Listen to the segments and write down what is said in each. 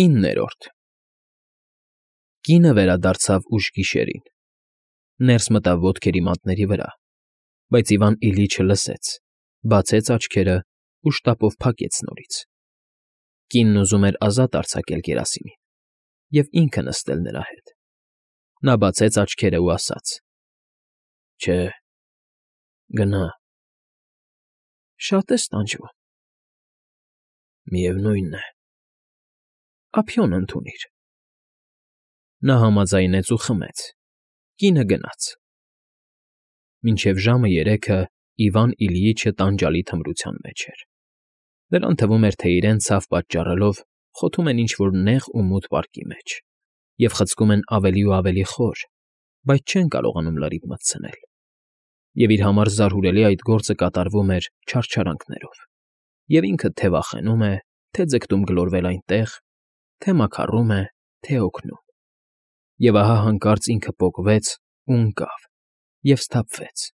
9-րդ Կինը վերադարձավ ուշ գիշերին, ներս մտավ ոտքերի մատների վրա, բայց Իվան Իլիչը լսեց, բացեց աչքերն ու շտապով փակեց նորից. կինն ուզում էր ազատ արձակել Գերասիմին և ինքը նստել նրա հետ. նա բացեց աչքերն ու ասաց. Չէ, գնա, շատ ես տանջվում, միևնույն է, ափիոն ընդունիր, նա համաձայնեց ու խմեց, կինը գնաց, մինչև ժամը 3-ը Իվան Իլյիչը տանջալի թմրության մեջ էր, նրան թվում էր, թե իրեն ցավ պատճառելով խոթում են ինչ-որ նեղ ու մութ պարկի մեջ և խցկում են ավելի ու ավելի խոր, բայց չեն կարողանում լրիվ մտցնել, և իր համար զարհուրելի այդ գործը կատարվում էր չարչարանքներով, և ինքը թե վախենում է, թե ձգտում գլորվել այնտեղ, թե մաքառում է, թե օգնում, և ահա հանկարծ ինքը պոկվեց ու ընկավ և սթափվեց,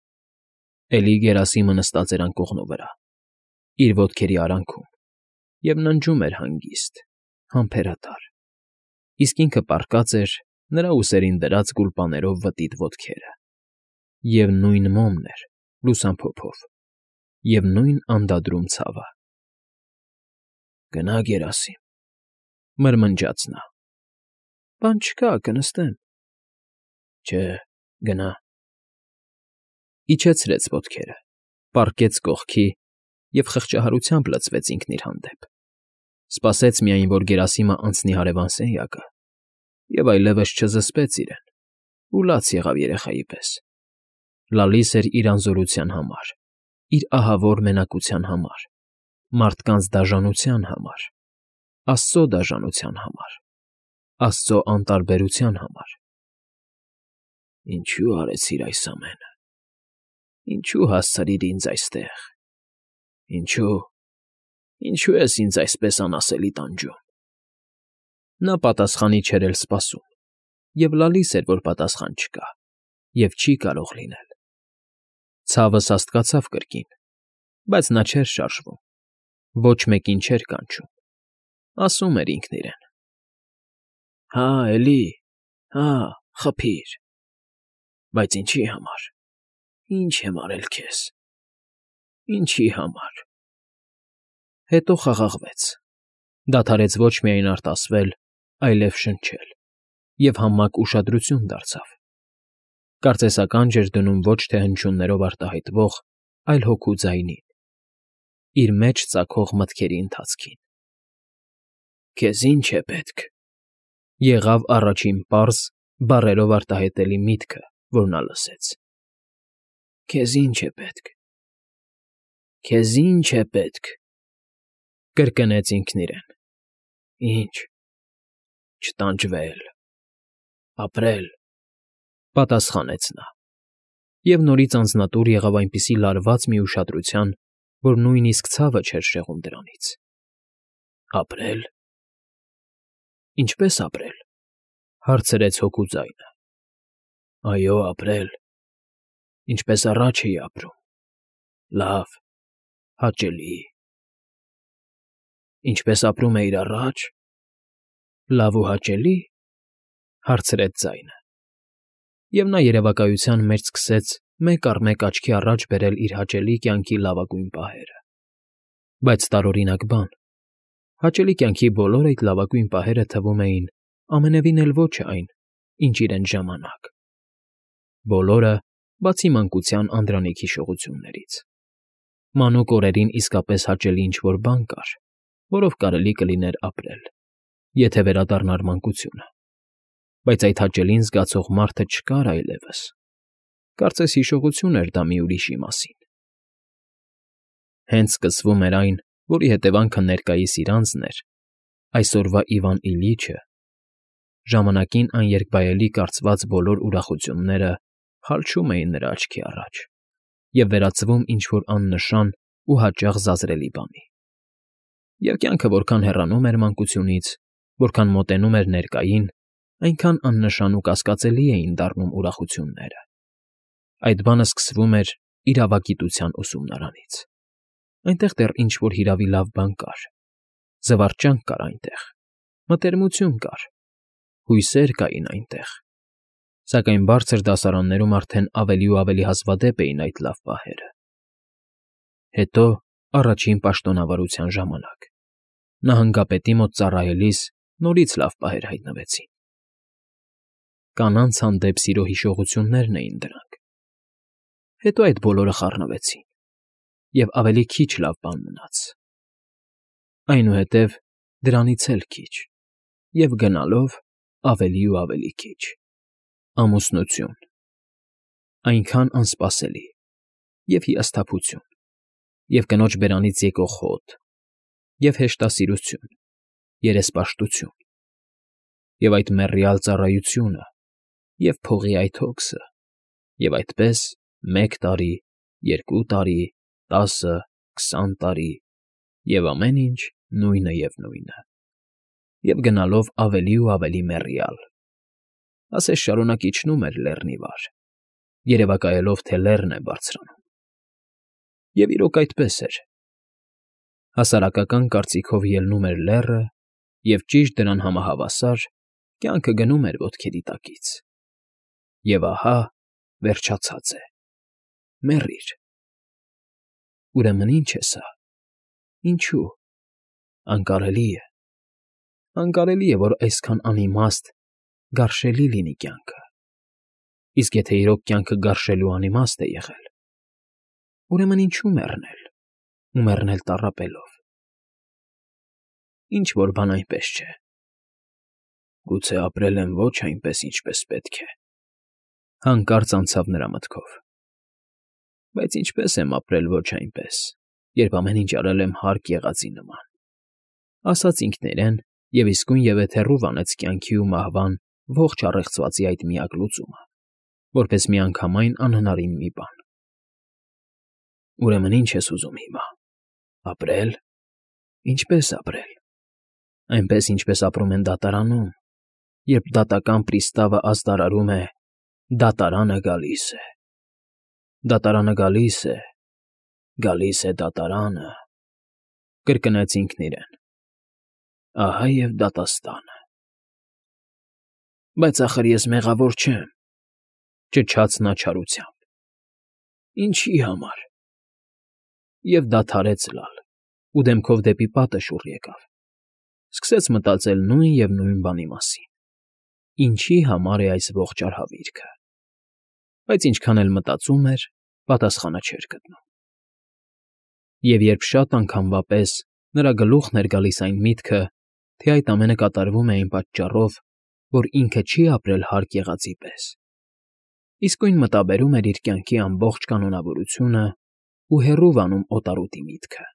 էլի Գերասիմը նստած էր անկողնու վրա, իր ոտքերի արանքում և ննջում էր հանգիստ, համբերատար, իսկ ինքը պառկած էր նրա ուսերին դրած գուլպաներով վտիտ ոտքերը, և նույն մոմն էր լուսամփոփով, և նույն անդադրում ցավը։ Գնա, Գերասիմ, մրմնջաց նա, բան չկա, կնստեմ, չէ, գնա, իջեցրեց ոտքերը, պառկեց կողքի և խղճահարությամբ լցվեց ինքն իր հանդեպ, սպասեց միայն, որ Գերասիմը անցնի հարևան սենյակը և այլևս չզսպեց իրեն ու լաց եղավ երեխայի պես, լալիս էր իր անզորության համար, իր ահավոր մենակության համար, մարդկանց դաժանության համար, Աստծո դաժանության համար, Աստծո անտարբերության համար։ Ինչո՞ւ արեցիր այս ամենը, ինչո՞ւ հասցրիր ինձ այստեղ, ինչո՞ւ ես ինձ այսպես անասելի տանջում։ Նա պատասխանի չէր էլ սպասում, և լալիս էր, որ պատասխան չկա և չի կարող լինել։ Ցավը սաստկացավ կրկին, բայց նա չէր շարժվում, ոչ մեկին չէր կանչում, ասում էր ինքն իրեն. Հա, էլի, հա, խփիր, բայց ինչի համար, ինչ եմ արել քեզ, ինչի համար։ Հետո խաղաղվեց, դադարեց ոչ միայն արտասվել, այլև շնչել և համակ ուշադրություն դարձավ, կարծես ականջ էր դնում ոչ թե հնչյուններով արտահայտվող, այլ հոգու ձայնին, իր մեջ ծագող մտքերի ընթացքին։ Քեզ ի՞նչ է պետք, եղավ առաջին պարզ, բառերով արտահայտելի միտքը, որ նա լսեց։ Քեզ ի՞նչ է պետք, քեզ ի՞նչ է պետք, կրկնեց ինքն իրեն։ Ինչ, չտանջվել, ապրել, պատասխանեց նա, և նորից անձնատուր եղավ այնպիսի լարված մի ուշադրության, որ նույնիսկ ցավը չէր շեղում դրանից։ Ապրել։ Ինչպե՞ս ապրել, հարցրեց հոգու ձայնը։ Այո, ապրել, ինչպես առաջ էի ապրում, լավ, հաճելի։ Ինչպես ապրում էիր առաջ, լավ ու հաճելի, հարցրեց ձայնը, և նա երևակայության մեջ սկսեց մեկ առ մեկ աչքի առաջ բերել իր հաճելի կյանքի լավագույն պահերը։ Բայց տարօրինակ բան, հաճելի կյանքի բոլոր այդ լավագույն պահերը թվում էին ամենևին էլ ոչ այն, ինչ իրենց ժամանակ, բոլորը, բացի մանկության անդրանիկ հիշողություններից։ Մանուկ օրերին իսկապես հաճելի ինչ֊որ բան կար, որով կարելի կլիներ ապրել, եթե վերադառնար մանկությունը, բայց այդ հաճելին զգացող մարդը չկար այլևս, կարծես հիշողություն էր դա մի ուրիշի մասին։ Հենց սկսվում էր այն, որի հետևանքը ներկայիս իր անձն էր, այսօրվա Իվան Իլիչը, ժամանակին աներկբայելի կարծված բոլոր ուրախությունները խալչում էին նրա աչքի առաջ և վերածվում ինչ֊որ աննշան ու հաճախ զազրելի բանի։ Եվ կյանքը որքան հեռանում էր մանկությունից, որքան մոտենում էր ներկային, այնքան աննշան ու կասկածելի էին դառնում ուրախությունները։ Այդ բանը սկսվում էր իրավագիտության ուսումնարանից։ Այնտեղ դեռ ինչ֊որ հիրավի լավ բան կար, զվարճանք կար այնտեղ, Մտերմություն կար, հույսեր կային այնտեղ, սակայն բարձր դասարաններում արդեն ավելի ու ավելի հազվադեպ էին այդ լավ պահերը։ Հետո, առաջին պաշտոնավարության ժամանակ, նահանգապետի մոտ ծառայելիս նորից լավ պահեր հայտնվեցին։ Կանանց հանդեպ սիրո հիշողություններն էին դրանք։ Հետո այդ բոլորը խառնվեցին, և ավելի քիչ լավ բան մնաց։ Այնուհետև դրանից էլ քիչ, և գնալով ավելի ու ավելի քիչ։ Ամուսնություն, այնքան անսպասելի, և հիասթափություն, և կնոջ բերանից եկող հոտ, և հեշտասիրություն, երեսպաշտություն, և այդ մեռյալ ծառայությունը, և փողի այդ հոգսը, և այդպես 1 տարի, 2 տարի, 10, 20 տարի, և ամեն ինչ նույնը և նույնը, և գնալով ավելի ու ավելի մեռյալ, ասես շարունակ իջնում էր լեռնի վար, երևակայելով, թե լեռն է բարձրանում։ Եվ իրոք այդպես էր. հասարակական կարծիքով ելնում էր լեռը, և ճիշտ դրան համահավասար կյանքը գնում էր ոտքերի տակից։ Եվ ահա, վերջացած է, մեռիր։ Ուրեմն ի՞նչ է սա, ինչո՞ւ, անկարելի է։ Անկարելի է, որ այսքան անիմաստ, գարշելի լինի կյանքը։ Իսկ եթե իրոք կյանքը գարշելու անիմաստ է եղել, ուրեմն ինչո՞ւ մեռնել, ու մեռնել տառապելով։ Ինչ֊որ բան այնպես չէ։ Գուցե ապրել եմ ոչ այնպես, ինչպես պետք է, հանկարծ անցավ նրա մտքով։ Բայց ինչպե՞ս եմ ապրել ոչ այնպես, երբ ամեն ինչ արել եմ հարկ եղածի նման, ասաց ինքն իրեն և իսկույնևեթ հեռու վանեց կյանքի ու մահվան ողջ առեղծվածի այդ միակ լուծումը, որպես միանգամայն անհնարին մի բան։ Ուրեմն ի՞նչ ես ուզում հիմա, ապրե՞լ։ Ինչպե՞ս ապրել։ Այնպես, ինչպես ապրում են դատարանում, երբ դատական պրիստավը ազդարարում է. «Դատարանը գալիս է, դատարանը գալիս է, գալիս է դատարանը», կրկնեց ինքն իրեն։ Ահա և դատաստանը։ Բայց ախր ես մեղավոր չեմ, ճչաց նա չարությամբ։ Ինչի՞ համար։ Եվ դադարեց լալ, ու դեմքով դեպի պատը շուռ եկավ, սկսեց մտածել նույն և նույն բանի մասին. ինչի համար է այս ողջ արհավիրքը։ Բայց ինչքան էլ մտածում էր, պատասխանը չէր գտնում։ Եվ երբ շատ անգամվա պես նրա գլուխն էր գալիս այն միտքը, թե այդ ամենը կատարվում է այն պատճառով, որ ինքը չի ապրել հարկ եղածի պես, իսկույն մտաբերում էր իր կյանքի ամբողջ կանոնավորությունն ու հեռու վանում օտարոտի միտքը։